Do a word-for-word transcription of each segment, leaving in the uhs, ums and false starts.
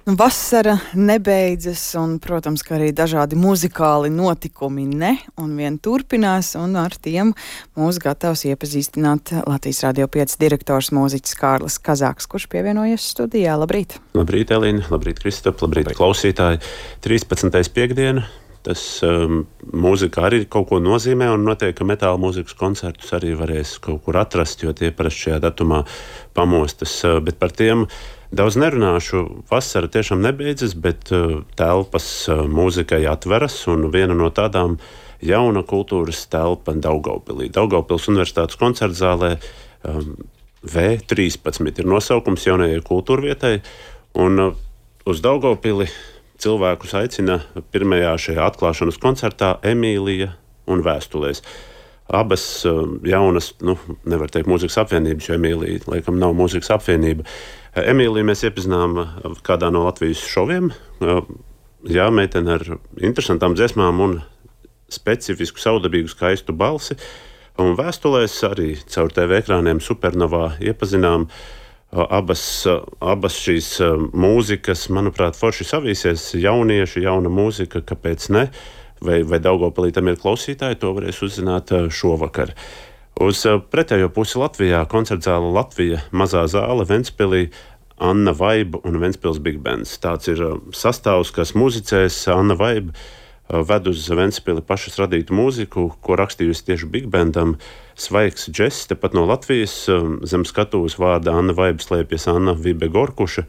Vasara nebeidzas, un, protams, ka arī dažādi muzikāli notikumi ne, un vien turpinās, un ar tiem mūs gatavs iepazīstināt Latvijas Radio pieci direktors mūziķis Kārlis Kazāks, kurš pievienojies studijā. Labrīt! Labrīt, Elīna! Labrīt, Kristap! Labrīt, labrīt, klausītāji! trīspadsmitais piekdiena. Tas um, mūzika arī kaut ko nozīmē, un noteikti, ka metāla mūzikas koncertus arī varēs kaut kur atrast, jo tie parasti šajā datumā pamostas, bet par tiem daudz nerunāšu. Vasara tiešām nebeidzas, bet uh, telpas uh, mūzikai atveras, un viena no tādām jauna kultūras telpa Daugavpilī. Daugavpils Universitātes koncertzālē um, V trīspadsmit ir nosaukums jaunajai kultūrvietai, un uh, uz Daugavpili cilvēkus aicina pirmajā šajā atklāšanas koncertā Emīlija un Vēstulēs. Abas uh, jaunas, nu, nevar teikt mūzikas apvienības, jo Emīlija laikam nav mūzikas apvienība. Emīliju mēs iepazinām kādā no Latvijas šoviem. Jā, meitene ar interesantām dziesmām un specifisku, saudabīgu, skaistu balsi. Un Vēstulēs arī caur T V ekrāniem Supernovā iepazinām abas, abas šīs mūzikas, manuprāt, forši savīsies. Jaunieši, jauna mūzika, kāpēc ne? Vai, vai Daugavpilī tam ir klausītāji, to varēs uzzināt šovakar. Uz pretējo pusi Latvijā koncertzāle Latvija, mazā zāle Ventspilī, Anna Vaiba un Ventspils Big Bands. Tāds ir sastāvs, kas muzicēs. Anna Vaiba ved uz Ventspili pašas radītu mūziku, ko rakstījusi tieši Big Bandam. Svaigs džess, tepat no Latvijas, zem skatuves vārda Anna Vaiba slēpjas Anna Vibe Gorkuša,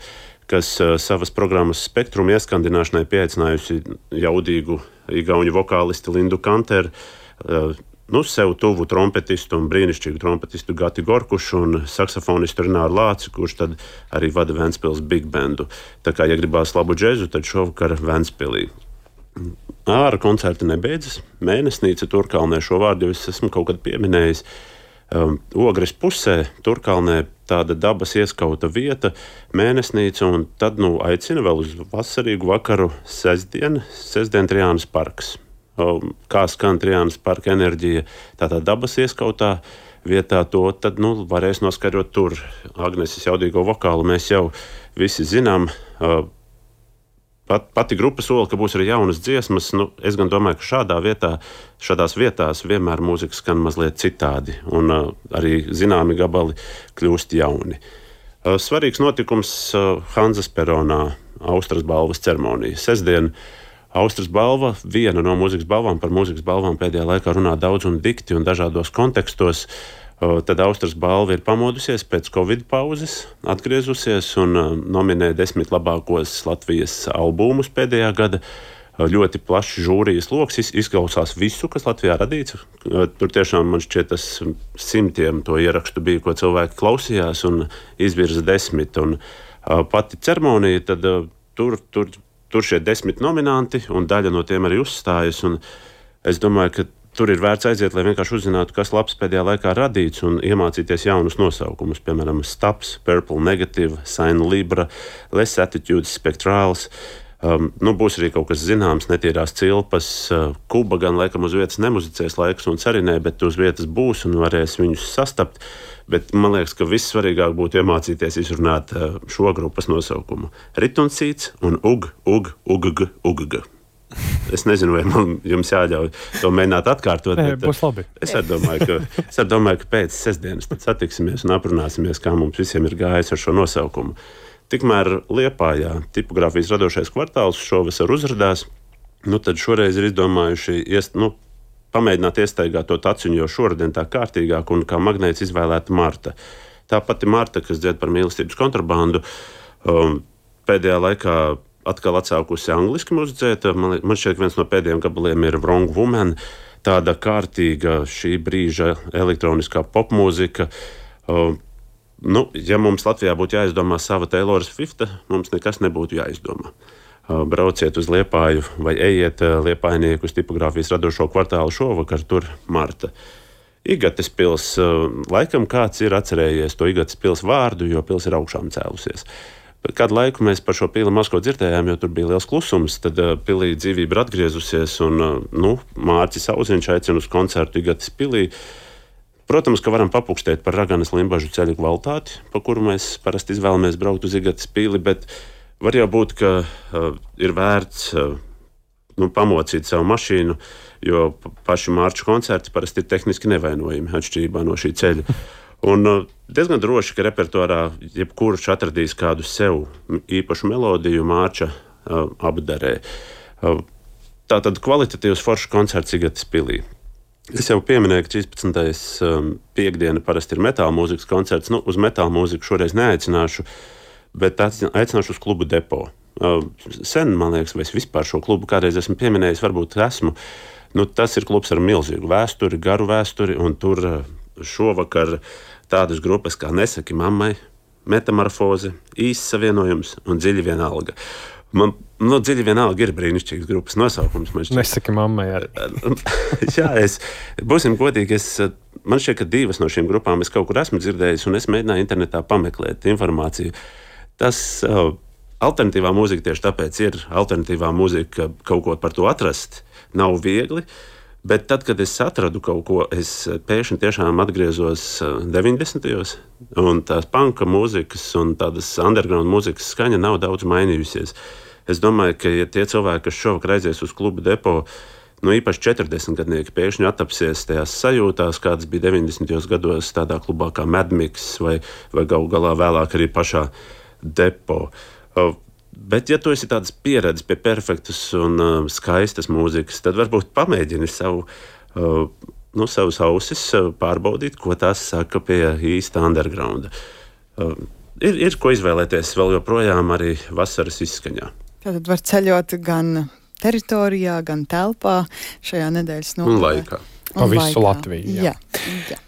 kas savas programmas spektrumu ieskandināšanai pieaicinājusi jaudīgu igauņu vokālisti Lindu Kanteru, nu, sev tuvu trompetistu un brīnišķīgu trompetistu Gati Gorkušu un saksofonistu Rināru Lāci, kurš tad arī vada Ventspils Big Bandu. Tā kā, ja gribās labu džezu, tad šovakar Ventspilī. Āra koncerti nebeidzas. Mēnesnīca Turkalnē, šo vārdu jau es esmu kaut kad pieminējis. Um, Ogres pusē Turkalnē tāda dabas ieskauta vieta, mēnesnīca, un tad, nu, aicina vēl uz vasarīgu vakaru sestdien, sestdien Trijānas parks. Kā skan Trijānas parka enerģija tādā dabas ieskautā vietā, to tad, nu, varēs noskarot tur. Agneses jaudīgo vokālu mēs jau visi zinām. Pat, pati grupa sola, ka būs arī jaunas dziesmas. Nu, es gan domāju, ka šādā vietā, šādās vietās vienmēr mūzika skan mazliet citādi, un uh, arī zināmi gabali kļūst jauni. Uh, svarīgs notikums uh, Hanzas peronā, Austras balvas ceremonija. Sestdien Austras balva, viena no mūzikas balvām, par mūzikas balvām pēdējā laikā runā daudz un dikti un dažādos kontekstos. Tad Austras balva ir pamodusies pēc Covid pauzes, atgriezusies un nominē desmit labākos Latvijas albumus pēdējā gada. Ļoti plašs žūrijas loks, izklausās visu, kas Latvijā radīts. Tur tiešām man šķiet tas simtiem to ierakstu bija, ko cilvēki klausījās, un izvirza desmit. Un pati ceremonija, tad tur, tur Tur šie desmit nominanti, un daļa no tiem arī uzstājas. Es domāju, ka tur ir vērts aiziet, lai vienkārši uzzinātu, kas labs pēdējā laikā radīts, un iemācīties jaunus nosaukumus. Piemēram, Stabs, Purple Negative, Sign Libra, Less Attitudes, Spectrāls. Um, nu, būs arī kaut kas zināms, netīrās cilpas. Uh, Kuba gan laikam uz vietas nemuzicēs laikus un carinē, bet uz vietas būs un varēs viņus sastapt. Bet man liekas, ka vissvarīgāk būtu iemācīties izrunāt uh, šo grupas nosaukumu. Ritunsīts un ug, ug, ugg, ugg. Es nezinu, vai man jums jāļauj to mēģināt atkārtot. Nē, būs labi. Es arī domāju, ka, es arī domāju, ka pēc sestdienas tad satiksimies un aprunāsimies, kā mums visiem ir gājis ar šo nosaukumu. Tikmēr Liepājā tipogrāfijas radošais kvartāls šovasar uzrādās, nu tad šoreiz ir izdomājuši iest, nu, pamēģināt iestaigāt to taciņu, jo šoredien tā kārtīgāk un kā magnēts izvēlēta Marta. Tā pati Marta, kas dzied par mīlestības kontrabandu, um, pēdējā laikā atkal atsākusi angliski muzicēt. Man, man šķiet, viens no pēdējiem gabaliem ir Wrong Woman, tāda kārtīga šī brīža elektroniskā popmūzika. Um, Nu, ja mums Latvijā būtu jāizdomā sava Taylor Swifta, mums nekas nebūtu jāizdomā. Brauciet uz Liepāju vai ejiet liepājnieku uz tipogrāfijas radošo kvartālu šovakar, tur Marta. Igates pils, laikam kāds ir atcerējies to Igates pils vārdu, jo pils ir augšām cēlusies. Kādu laiku mēs par šo pili maz ko dzirdējām, jo tur bija liels klusums, tad pilī dzīvība ir atgriezusies, un nu, Mārcis Auziņš aicina uz koncertu Igates pilī. Protams, ka varam papukstēt par Raganas Limbažu ceļu kvalitāti, pa kuru mēs parasti izvēlamies braukt uz Igates pili, bet var jau būt, ka uh, ir vērts uh, nu, pamocīt savu mašīnu, jo paši marču koncerti parasti ir tehniski nevainojami atšķirībā no šī ceļa. Un uh, diezgan droši, ka repertuārā jebkurš atradīs kādu sev īpašu melodiju marča uh, apdarē. Uh, Tātad kvalitatīvs foršs koncerts Igates pilī. Es jau pieminēju, ka trīspadsmitais piekdiena parasti ir metāla mūzikas koncerts. Nu, uz metāla mūziku šoreiz neaicināšu, bet aicināšu uz klubu Depo. Sen, man liekas, vai es vispār šo klubu kādreiz esmu pieminējis, varbūt esmu. Nu, tas ir klubs ar milzīgu vēsturi, garu vēsturi, un tur šovakar tādas grupas kā Nesaki mammai, Metamorfoze, Īsts savienojums un Dziļi vienalga. Man nu, Dziļi vienalga ir brīnišķīgs grupas nosaukums. Nesaki mammai arī. Jā, es, būsim godīgi, es, man šķiet, ka divas no šīm grupām es kaut kur esmu dzirdējis, un es mēģināju internetā pameklēt informāciju. Tas uh, alternatīvā mūzika tieši tāpēc ir alternatīvā mūzika, kaut ko par to atrast nav viegli, bet tad, kad es atradu kaut ko, es pēkšņi tiešām atgriezos deviņdesmitajos, un tās panka mūzikas un tādas underground mūzikas skaņa nav daudz mainījusies. Es domāju, ka ja tie cilvēki, kas šovakar aizies uz klubu Depo, nu īpaši četrdesmitgadnieki pēkšņi attapsies tajās sajūtās, kādas bija deviņdesmitajos gados tādā klubā kā Mad Mix vai, vai galu galā vēlāk arī pašā Depo. Bet, ja tu esi tādas pieredzes pie perfektas un uh, skaistas mūzikas, tad varbūt pamēģini savu, uh, nu, savus ausis uh, pārbaudīt, ko tās saka pie īsta undergrounda. Uh, ir, ir ko izvēlēties vēl joprojām arī vasaras izskaņā. Tātad var ceļot gan teritorijā, gan telpā šajā nedēļas nogalē. Un laikā. Pa visu Latviju. Jā. Jā, jā.